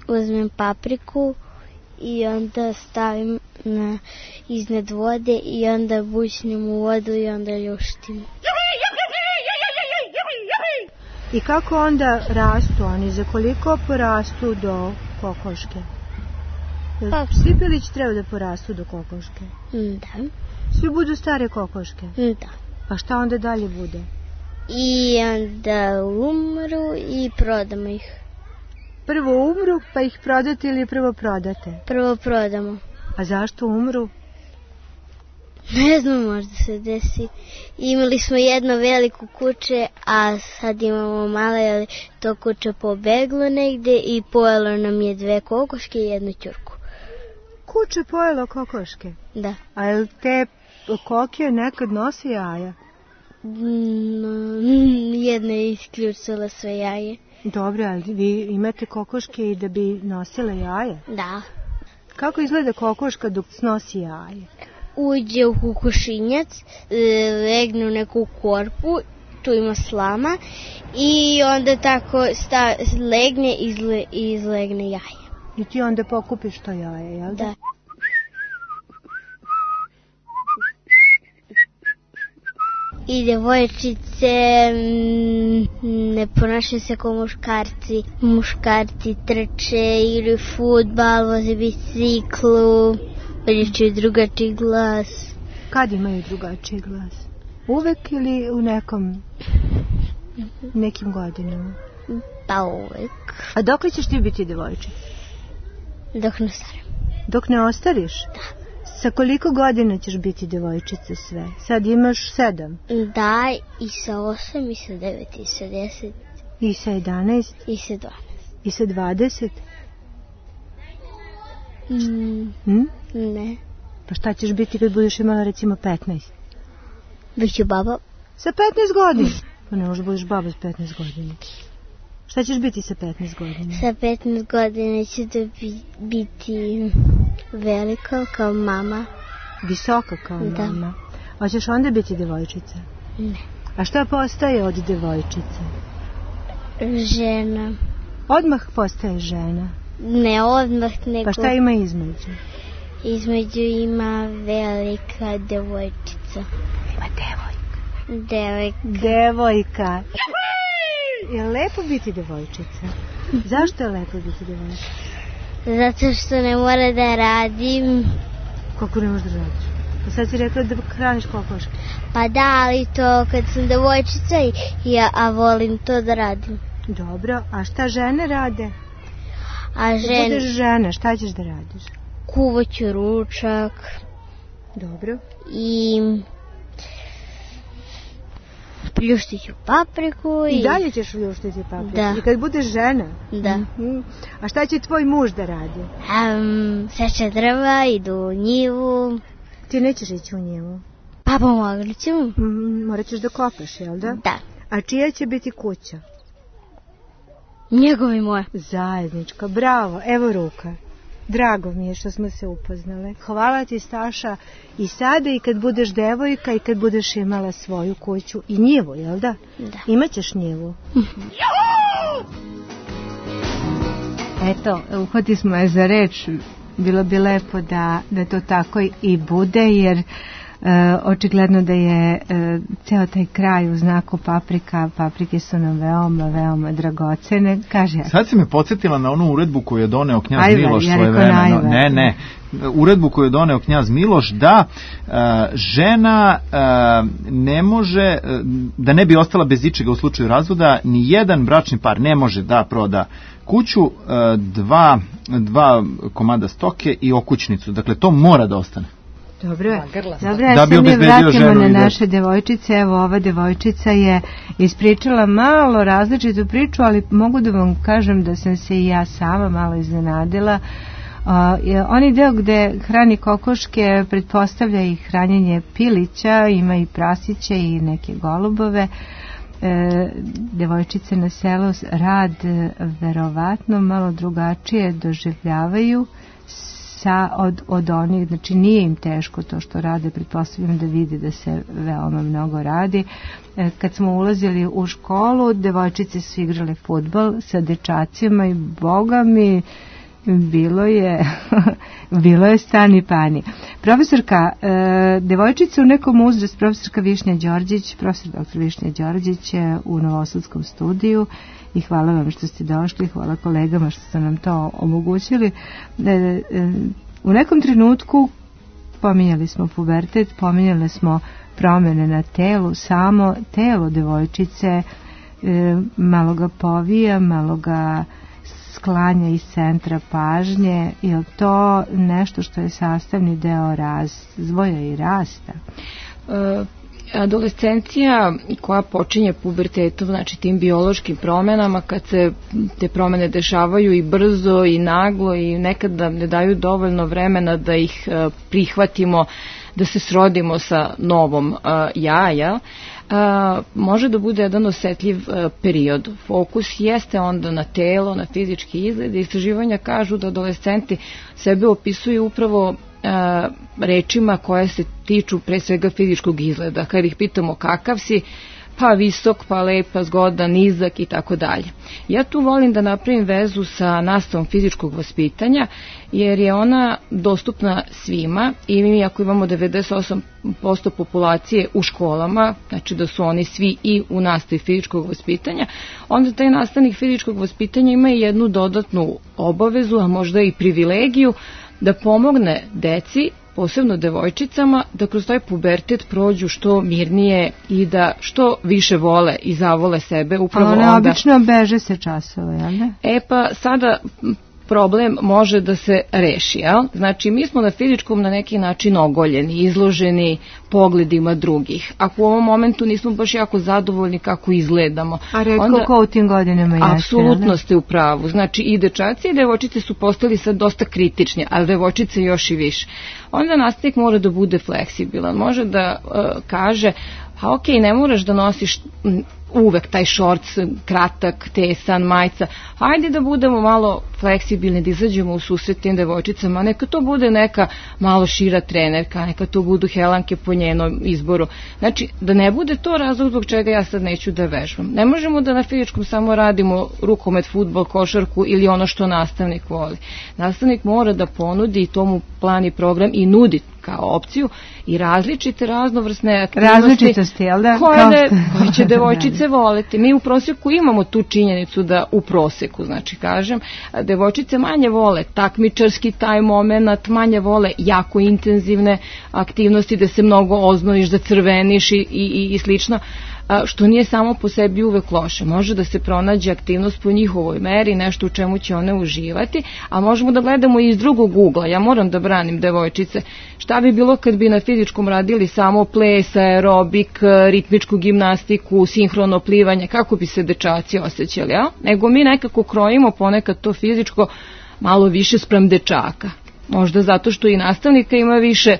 Speaker 13: Uzmem papriku i onda stavim iznad vode i onda bućnim u vodu i onda ljuštim.
Speaker 5: I kako onda rastu oni? Za koliko porastu do kokoške? Svi pilići treba da porastu do kokoške?
Speaker 13: Da.
Speaker 5: Svi budu stare kokoške?
Speaker 13: Da.
Speaker 5: Pa šta onda dalje bude?
Speaker 13: I onda umru i prodamo ih.
Speaker 5: Prvo umru pa ih prodate ili prvo prodate?
Speaker 13: Prvo prodamo.
Speaker 5: A zašto umru?
Speaker 13: Ne znam, možda se desi. Imali smo jedno veliko kuće, a sad imamo male, ali to kuće pobeglo negde i pojelo nam je 2 kokoške i 1 ćurku.
Speaker 5: Kuće pojelo kokoške?
Speaker 13: Da.
Speaker 5: A jel te kokije nekad nose jaja?
Speaker 13: Jedna je isključila sve jaje.
Speaker 5: Dobro, ali vi imate kokoške i da bi nosile jaje?
Speaker 13: Da.
Speaker 5: Kako izgleda kokoška dok snosi jaje?
Speaker 13: Uđe u kokošinjac, legne u neku korpu, tu ima slama i onda tako legne i izlegne jaje.
Speaker 5: I ti onda pokupiš to jaje, jel da?
Speaker 13: Da. I devojčice ne ponašaju se kao muškarci. Muškarci trče, igraju fudbal, voze biciklu, pričaju drugačiji glas.
Speaker 5: Kad imaju drugačiji glas? Uvek ili u nekim godinama?
Speaker 13: Pa uvek.
Speaker 5: A dok li ćeš ti biti devojčica?
Speaker 13: Dok ne ostarim.
Speaker 5: Dok ne ostariš?
Speaker 13: Da.
Speaker 5: Sa koliko godina ćeš biti devojčica sve? Sad imaš 7?
Speaker 13: Da, i sa 8, i sa 9, i sa 10.
Speaker 5: I sa 11?
Speaker 13: I sa 12.
Speaker 5: I sa 20?
Speaker 13: Ne.
Speaker 5: Pa šta ćeš biti kad budeš imala recimo 15?
Speaker 13: Biću baba.
Speaker 5: Sa 15 godina? Pa ne možeš budeš baba s 15 godina. Šta ćeš biti sa 15 godina?
Speaker 13: Sa 15 godina ću da biti velika kao mama.
Speaker 5: Visoka kao mama? Hoćeš onda biti devojčica?
Speaker 13: Ne.
Speaker 5: A šta postaje od devojčice?
Speaker 13: Žena.
Speaker 5: Odmah postaje žena?
Speaker 13: Ne odmah, nego...
Speaker 5: Pa šta ima između?
Speaker 13: Između ima velika devojčica.
Speaker 5: Ima devojka.
Speaker 13: Devojka.
Speaker 5: Je lepo biti devojčica? Zašto je lepo biti devojčica?
Speaker 13: Zato što ne mora da radim.
Speaker 5: Kako ne možeš da radiš? Pa sad si rekla da hraniš kokoške.
Speaker 13: Pa da, ali to kad sam devojčica a volim to da radim.
Speaker 5: Dobro, a šta žene rade?
Speaker 13: Kad
Speaker 5: budeš žena, šta ćeš da radiš?
Speaker 13: Kuvaću ručak.
Speaker 5: Dobro.
Speaker 13: I pljuštit ću papriku.
Speaker 5: I dalje ćeš pljuštiti papriku?
Speaker 13: Da.
Speaker 5: I kad budeš žena?
Speaker 13: Da.
Speaker 5: A šta će tvoj muž da radi?
Speaker 13: Seče drva, idu u njivu.
Speaker 5: Ti nećeš ići u njivu?
Speaker 13: Pa pomogli ću.
Speaker 5: Morat ćeš da kopaš, jel da?
Speaker 13: Da.
Speaker 5: A čija će biti kuća?
Speaker 13: Njegova i moja.
Speaker 5: Zajednička, bravo, evo ruka. Drago mi je što smo se upoznale. Hvala ti, Staša, i sada i kad budeš devojka i kad budeš imala svoju kuću i njivu, jel da?
Speaker 13: Da.
Speaker 5: Imaćeš njivu. Eto, uhvati smo je za reč. Bilo bi lepo da to tako i bude, jer očigledno da je ceo taj kraj u znaku paprika. Paprike su nam veoma, veoma dragocene. Kaže,
Speaker 6: sad si me podsjetila na onu uredbu koju je doneo knjaz Miloš svojevremeno. Ne. Uredbu koju je doneo knjaz Miloš da žena ne može, da ne bi ostala bez ičega u slučaju razvoda, ni jedan bračni par ne može da proda kuću, dva komada stoke i okućnicu. Dakle, to mora da ostane.
Speaker 5: Dobro,
Speaker 6: da bi obezbedio ženu.
Speaker 5: Na naše devojčice. Evo, ova devojčica je ispričala malo različitu priču, ali mogu da vam kažem da sam se i ja sama malo iznenadila. Oni deo gde hrani kokoške pretpostavlja i hranjenje pilića, ima i prasiće i neke golubove. Devojčice na selu rad verovatno malo drugačije doživljavaju od onih, znači nije im teško to što rade, pretpostavljam da vide da se veoma mnogo radi. Kad smo ulazili u školu, devojčice su igrale fudbal sa dečacima i boga mi bilo je stani pani. Profesorka, devojčica u nekom uzrastu, profesorka Višnja Đorđić, profesor dr. Višnja Đorđić je u Novosadskom studiju i hvala vam što ste došli, hvala kolegama što ste nam to omogućili. U nekom trenutku pominjali smo pubertet, pominjali smo promjene na telu, samo telo devojčice malo ga povija, malo ga sklanja iz centra pažnje. Je li to nešto što je sastavni deo razvoja i rasta?
Speaker 7: Adolescencija koja počinje pubertetom, znači tim biološkim promenama, kad se te promene dešavaju i brzo i naglo i nekada ne daju dovoljno vremena da ih prihvatimo, da se srodimo sa novom jaja, može da bude jedan osetljiv period. Fokus jeste onda na telo, na fizički izgled. Istraživanja kažu da adolescenti sebe opisuju upravo rečima koje se tiču pre svega fizičkog izgleda. Kad ih pitamo kakav si, pa visok, pa lep, pa zgodan, nizak i tako dalje. Ja tu volim da napravim vezu sa nastavom fizičkog vaspitanja, jer je ona dostupna svima i mi ako imamo 98% populacije u školama, znači da su oni svi i u nastavi fizičkog vaspitanja, onda taj nastavnik fizičkog vaspitanja ima i jednu dodatnu obavezu, a možda i privilegiju, da pomogne deci, posebno devojčicama, da kroz taj pubertet prođu što mirnije i da što više vole i zavole sebe. Upravo
Speaker 5: one onda obično beže se časova, jel ne?
Speaker 7: Pa sada problem može da se reši, jel? Znači, mi smo na fizičkom na neki način ogoljeni, izloženi pogledima drugih. Ako u ovom momentu nismo baš jako zadovoljni kako izgledamo.
Speaker 5: A redko ko u tim godinama jeste?
Speaker 7: Apsolutno ste u pravu. Znači, i dečaci i devojčice su postali sad dosta kritični, ali devojčice još i više. Onda nastavnik mora da bude fleksibilan. Može da kaže, a ok, ne moraš da nosiš uvek taj šorc kratak, tesan, majica. Hajde da budemo malo fleksibilni, da izađemo u susret tim devojčicama. Neka to bude neka malo šira trenerka, neka to budu helanke po njenom izboru. Znači, da ne bude to razlog zbog čega ja sad neću da vežbam. Ne možemo da na fizičkom samo radimo rukomet, fudbal, košarku ili ono što nastavnik voli. Nastavnik mora da ponudi i tomu plan i program i nudi kao opciju i različite raznovrsne aktivnosti.
Speaker 5: Različitosti, jel da?
Speaker 7: Koje će devojčice voleti. Mi u prosjeku imamo tu činjenicu da u proseku, znači kažem, devojčice manje vole takmičarski taj moment, manje vole jako intenzivne aktivnosti da se mnogo oznojiš, zacrveniš i slično, što nije samo po sebi uvek loše. Može da se pronađe aktivnost po njihovoj meri, nešto u čemu će one uživati, a možemo da gledamo i iz drugog ugla. Ja moram da branim devojčice. Šta bi bilo kad bi na fizičkom radili samo ples, aerobik, ritmičku gimnastiku, sinhrono plivanje, kako bi se dečaci osjećali, ja? Nego mi nekako krojimo ponekad to fizičko malo više spram dečaka. Možda zato što i nastavnika ima više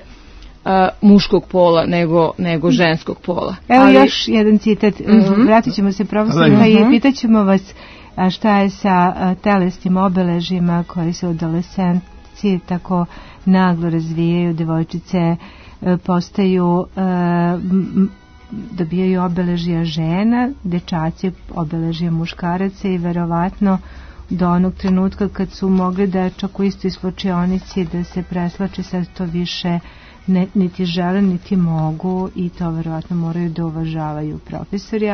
Speaker 7: muškog pola nego ženskog pola.
Speaker 5: Evo još jedan citat. Vratit ćemo se profesorka i pitaćemo vas šta je sa telesnim obeležjima koji se u adolescenciji tako naglo razvijaju. Devojčice postaju, dobijaju obeležja žena, dečaci obeležja muškaraca i verovatno do onog trenutka kad su mogli da čak u istoj slučajonici da se preslače, sad to više niti žele, niti mogu i to verovatno moraju da uvažavaju profesori.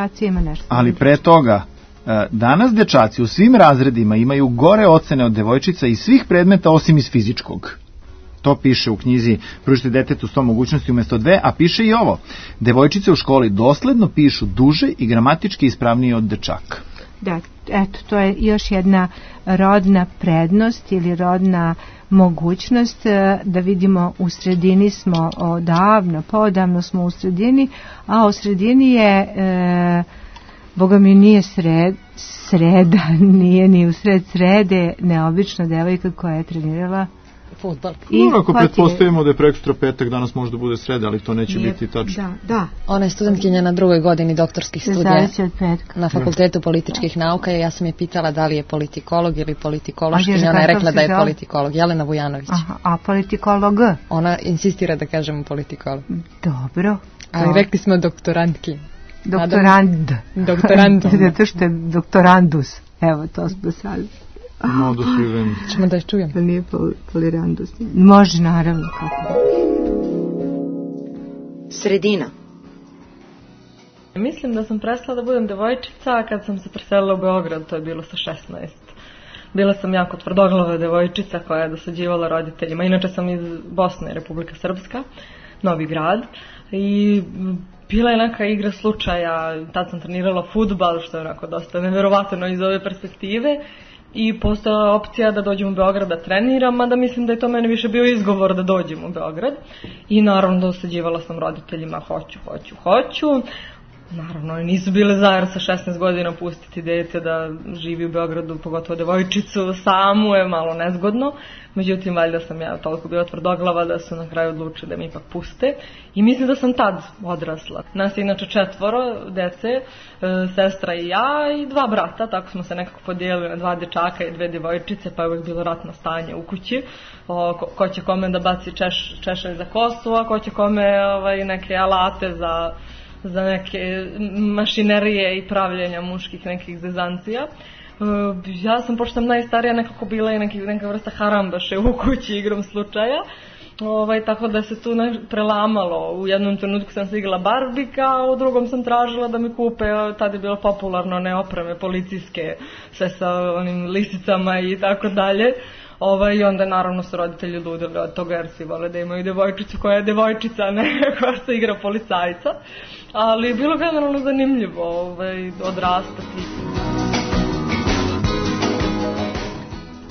Speaker 6: Ali pre toga, danas dečaci u svim razredima imaju gore ocene od devojčica iz svih predmeta osim iz fizičkog. To piše u knjizi Pružite detetu 100 mogućnosti umjesto 2, a piše i ovo. Devojčice u školi dosledno pišu duže i gramatički ispravnije od dečaka.
Speaker 5: Da, eto, to je još jedna rodna prednost ili rodna mogućnost da vidimo u sredini smo poodavno smo u sredini, a u sredini je Boga mi nije sreda, nije ni u sred srede neobična devojka koja je trenirala
Speaker 1: fudbal.
Speaker 6: Ako pretpostavimo da je prekstra petak, danas možda bude sreda, ali to neće biti tačno.
Speaker 5: Da.
Speaker 1: Ona je studentkinja na 2. godini doktorskih studija na Fakultetu političkih nauka i ja sam je pitala da li je politikolog ili politikološkinja. Ona je rekla da je politikolog. Jelena Vujanović.
Speaker 5: A politikolog?
Speaker 1: Ona insistira da kažemo politikolog.
Speaker 5: Dobro.
Speaker 1: Ali rekli smo doktorantkinja.
Speaker 5: Doktorand. Zato što je doktorandus. Evo, to smo sad
Speaker 6: Modus vivendi.
Speaker 1: Ćemo da je čujem.
Speaker 5: Da nije polirandost. Može, naravno, kako da.
Speaker 4: Sredina.
Speaker 14: Mislim da sam prestala da budem devojčica kad sam se preselila u Beograd, to je bilo sa 16. Bila sam jako tvrdoglava devojčica koja je dosađivala roditeljima. Inače sam iz Bosne, Republika Srpska, Novi Grad. I bila je neka igra slučaja, tad sam trenirala fudbal, što je onako dosta neverovatno iz ove perspektive. I postojala opcija da dođem u Beograd da treniram, mada mislim da je to meni više bio izgovor da dođem u Beograd. I naravno dosađivala sam roditeljima, hoću. Naravno, nisu bile za, jer sa 16 godina pustiti dete da živi u Beogradu, pogotovo devojčicu, samu je malo nezgodno. Međutim, valjda sam ja toliko bila tvrdoglava da su na kraju odlučili da mi ipak puste. I mislim da sam tad odrasla. Nas je inače 4 dece, sestra i ja i 2 brata, tako smo se nekako podijelili na 2 dečaka i 2 djevojčice, pa je uvijek bilo ratno stanje u kući. Ko će kome da baci češelj za kosu, a ko će kome neke alate za neke mašinerije i pravljenja muških nekih zezancija. Ja sam, pošto sam najstarija, nekako bila i neka vrsta harambaše u kući igrom slučaja. Tako da se tu prelamalo. U jednom trenutku sam se igrala Barbika, a u drugom sam tražila da mi kupe, tad je bilo popularno one opreme policijske, sve sa onim lisicama i tako dalje. I onda naravno su roditelji ludili od toga jer svi vole da imaju devojčicu koja je devojčica, ne koja se igra policajca. Ali je bilo generalno zanimljivo odrastati.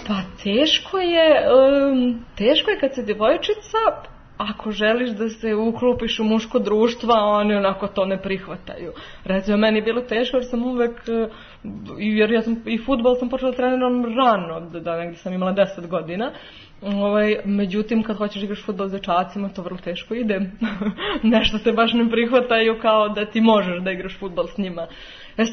Speaker 14: Pa teško je kad se devojčica, ako želiš da se uklopiš u muško društvo, oni onako to ne prihvataju. Recimo, meni je bilo teško jer sam uvek, jer ja sam i fudbal sam počela treniram rano, da negdje sam imala 10 godina. Međutim, kad hoćeš igraš fudbal s dečacima, to vrlo teško ide. Nešto se baš ne prihvataju kao da ti možeš da igraš fudbal s njima.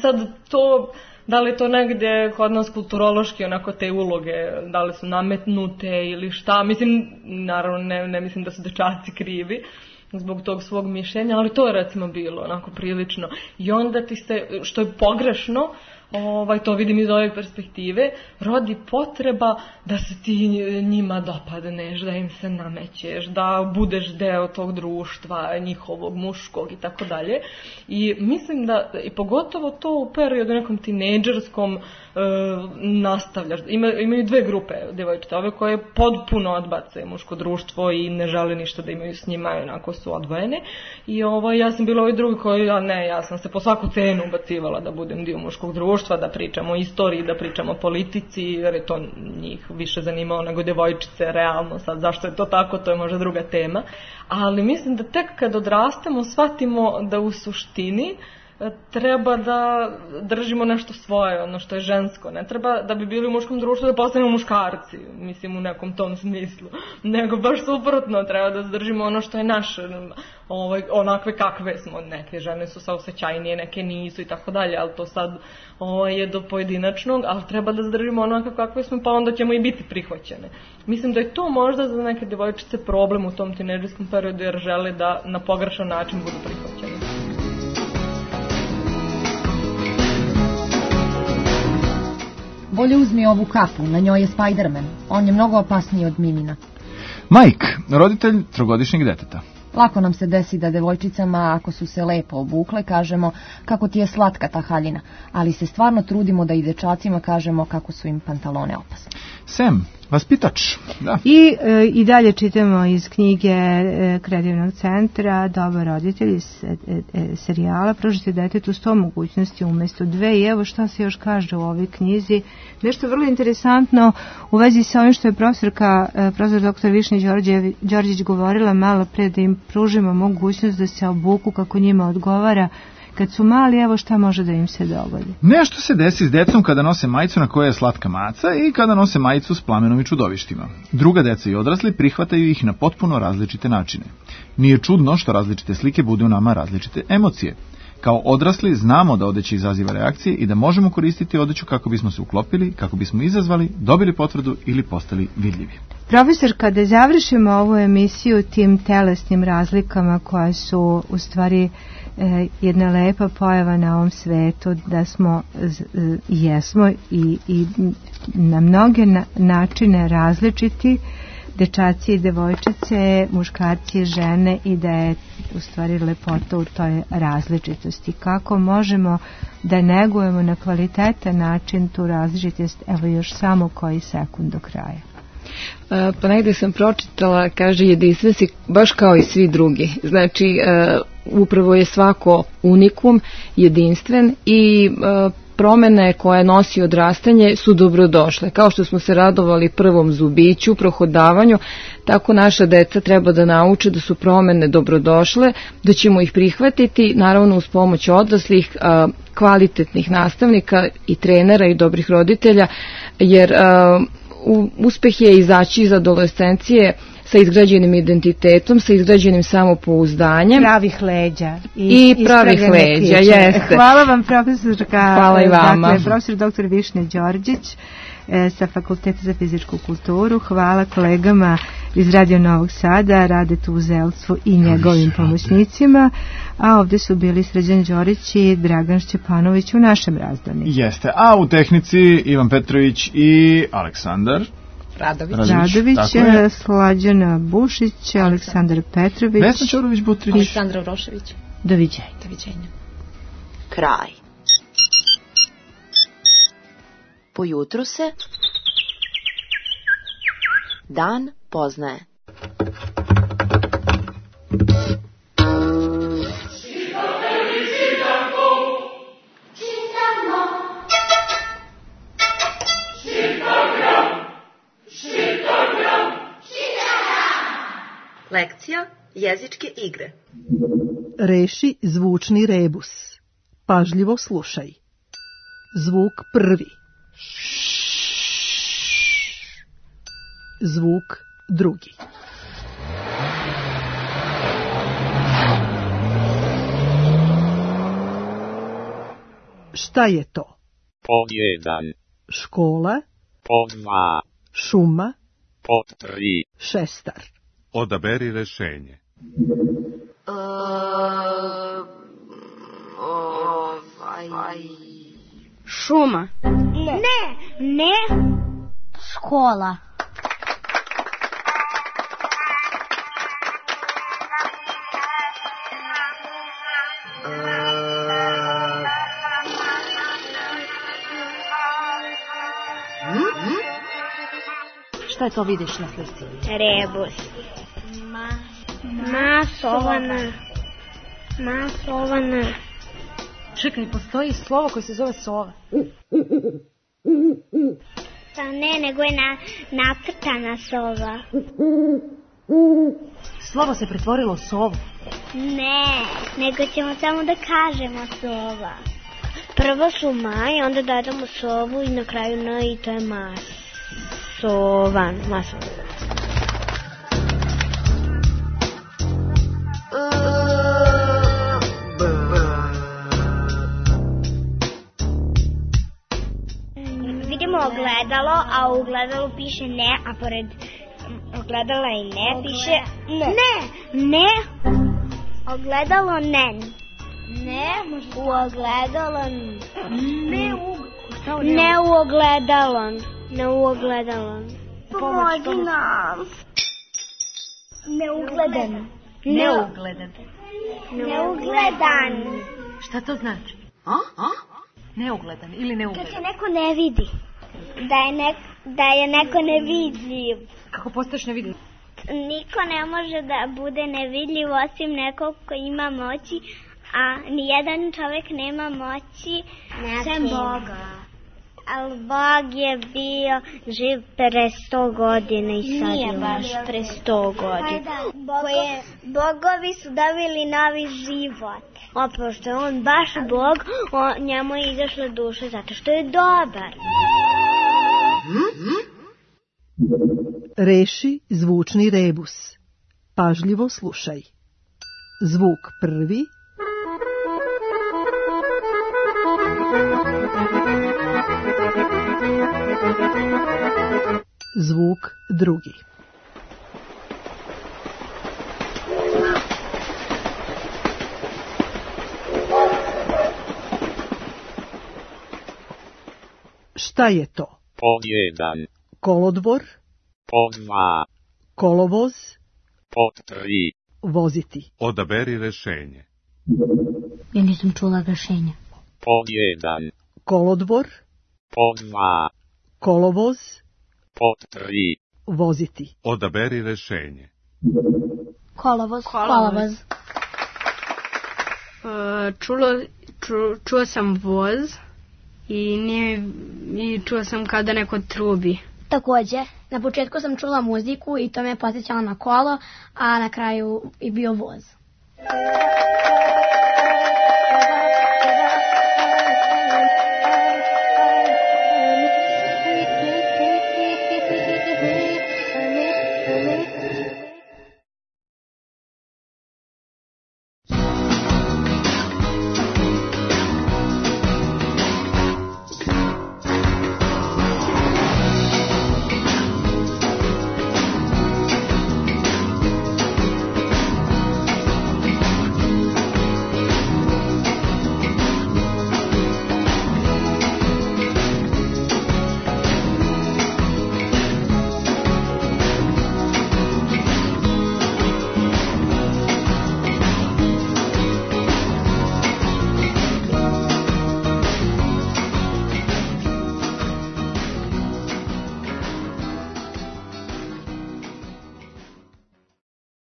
Speaker 14: Sad to, da li to negdje kod nas kulturološki onako te uloge, da li su nametnute ili šta, mislim, naravno ne mislim da su dečaci krivi zbog tog svog mišljenja, ali to je recimo bilo onako prilično. I onda ti se, što je pogrešno, to vidim iz ove perspektive, rodi potreba da se ti njima dopadneš, da im se namećeš, da budeš deo tog društva, njihovog, muškog i tako dalje. I mislim da, i pogotovo to u periodu nekom tinejdžerskom nastavljaš. Imaju 2 grupe djevojčica, ove koje potpuno odbace muško društvo i ne žele ništa da imaju s njima, onako su odvojene. I ja sam bila ovoj drugi koji, ja sam se po svaku cenu ubacivala da budem dio muškog društva, da pričamo o istoriji, da pričamo o politici, jer je to njih više zanimalo nego djevojčice, realno. Sad, zašto je to tako, to je možda druga tema. Ali mislim da tek kad odrastemo, shvatimo da u suštini treba da držimo nešto svoje, ono što je žensko. Ne treba da bi bili u muškom društvu da postanemo muškarci, mislim u nekom tom smislu. Nego baš suprotno, treba da zadržimo ono što je naše, onakve kakve smo. Neke žene su saosećajnije, neke nisu i tako dalje, ali to sad je do pojedinačnog, ali treba da zadržimo onakve kakve smo, pa onda ćemo i biti prihvaćene. Mislim da je to možda za neke djevojčice problem u tom tinejdžerskom periodu, jer žele da na pogrešan način budu prihvaćene.
Speaker 15: Bolje uzmi ovu kapu, na njoj je Spider-Man. On je mnogo opasniji od Mimina.
Speaker 6: Mike, roditelj 3-godišnjeg deteta.
Speaker 15: Lako nam se desi da devojčicama, ako su se lepo obukle, kažemo kako ti je slatka ta haljina, ali se stvarno trudimo da i dečacima kažemo kako su im pantalone opasne.
Speaker 6: Sam, vaspitač. Da.
Speaker 5: I dalje čitamo iz knjige Kreativnog centra Dobar roditelj iz serijala Pružite detetu 100 mogućnosti umjesto 2. I evo šta se još kaže u ovoj knjizi. Nešto vrlo interesantno u vezi sa ovim što je profesor dr. Višnja Đorđević govorila malo pre, da im pružimo mogućnost da se obuku kako njima odgovara kad su mali, evo šta može da im se dogodi.
Speaker 6: Nešto se desi s decom kada nose majicu na kojoj je slatka maca i kada nose majicu s plamenom i čudovištima. Druga deca i odrasli prihvataju ih na potpuno različite načine. Nije čudno što različite slike budu u nama različite emocije. Kao odrasli znamo da odeća izaziva reakcije i da možemo koristiti odeću kako bismo se uklopili, kako bismo izazvali, dobili potvrdu ili postali vidljivi.
Speaker 5: Profesor, kada završimo ovu emisiju tim telesnim razlikama koja su u stvari jedna lepa pojava na ovom svetu, da smo jesmo i na mnoge načine različiti, dečaci i devojčice, muškarci i žene, i da je u stvari lepota u toj različitosti. Kako možemo da negujemo na kvalitetan način tu različitost, evo još samo koji sekund do kraja.
Speaker 7: Pa negdje sam pročitala, kaže, jedinstven si baš kao i svi drugi. Znači, upravo je svako unikum, jedinstven i promene koje nosi odrastanje su dobrodošle. Kao što smo se radovali prvom zubiću, prohodavanju, tako naša deca treba da nauče da su promene dobrodošle, da ćemo ih prihvatiti, naravno uz pomoć odraslih, kvalitetnih nastavnika i trenera i dobrih roditelja, jer uspeh je izaći iz adolescencije sa izgrađenim identitetom, sa izgrađenim samopouzdanjem.
Speaker 5: Pravih leđa.
Speaker 7: I pravih leđa, jeste.
Speaker 5: Hvala vam, profesorka.
Speaker 7: Hvala i vama.
Speaker 5: Dakle, profesor dr. Višnja Đorđić sa Fakulteta za fizičku kulturu. Hvala kolegama iz Radio Novog Sada, Radetu Uzelstvu i njegovim pomoćnicima. A ovdje su bili Srđan Đorić i Dragan Šćepanović u našem razdaniku.
Speaker 6: Jeste, a u tehnici Ivan Petrović i Aleksandar
Speaker 5: Radović, Slađana Bušić, Aleksandar Petrović,
Speaker 6: Vesna Ćorović-Butrić,
Speaker 1: Aleksandra Vrošević.
Speaker 5: Doviđenja.
Speaker 4: Kraj. Po jutru se dan poznaje. Lekcija jezičke igre.
Speaker 16: Reši zvučni rebus. Pažljivo slušaj. Zvuk prvi. Zvuk drugi. Šta je to?
Speaker 17: Pod 1.
Speaker 16: Škola.
Speaker 17: Pod 2.
Speaker 16: Šuma.
Speaker 17: Pod 3.
Speaker 16: Šestar.
Speaker 17: Odaberi rešenje.
Speaker 13: Šuma. Ne. Škola.
Speaker 1: Šta je to vidiš na slici?
Speaker 2: Rebus. Masovana.
Speaker 1: Čekaj, postoji slovo koje se zove sova.
Speaker 2: Pa ne, nego je nacrtana sova.
Speaker 1: Slovo se pretvorilo u sovu.
Speaker 2: Ne, nego ćemo samo da kažemo sova. Prvo su maj, onda dodamo sovu i na kraju n i to je masovan. Vidimo ogledalo, a u ogledalu piše ne, a pored ogledala i ne piše ne. Ogledalo nen. Ne, u ogledalo ne u ogledalon. Ne u ogledalon. Pomozi nam. Neugledan. Neugledan.
Speaker 1: Šta to znači? Neugledan ili neugledan?
Speaker 2: Kad se neko ne vidi. Da je neko nevidljiv.
Speaker 1: Kako postaješ nevidljiv?
Speaker 2: Niko ne može da bude nevidljiv osim nekog ko ima moći, a nijedan čovjek nema moći sem Boga. Ali Bog je bio živ pre 100 godina i sad je baš pre 100 godina. Bogovi su dobili novi život. Pošto je on baš Bog, njemu je izašla duša zato što je dobar.
Speaker 16: Reši zvučni rebus. Pažljivo slušaj. Zvuk prvi. Zvuk drugi. Šta je to?
Speaker 17: Pod 1.
Speaker 16: Kolodvor,
Speaker 17: Pod 2.
Speaker 16: kolovoz,
Speaker 17: Pod 3.
Speaker 16: voziti.
Speaker 17: Odaberi rešenje.
Speaker 13: Ja nisam čula rešenja.
Speaker 17: Pod 1.
Speaker 16: Kolodvor,
Speaker 17: Pod 2.
Speaker 16: kolovoz,
Speaker 17: Pod 3.
Speaker 16: voziti.
Speaker 17: Odaberi rešenje.
Speaker 13: Kolovoz.
Speaker 18: Čuo sam voz i čuo sam kada neko trubi.
Speaker 19: Takođe, na početku sam čula muziku i to me podsjećalo na kolo, a na kraju i bio voz.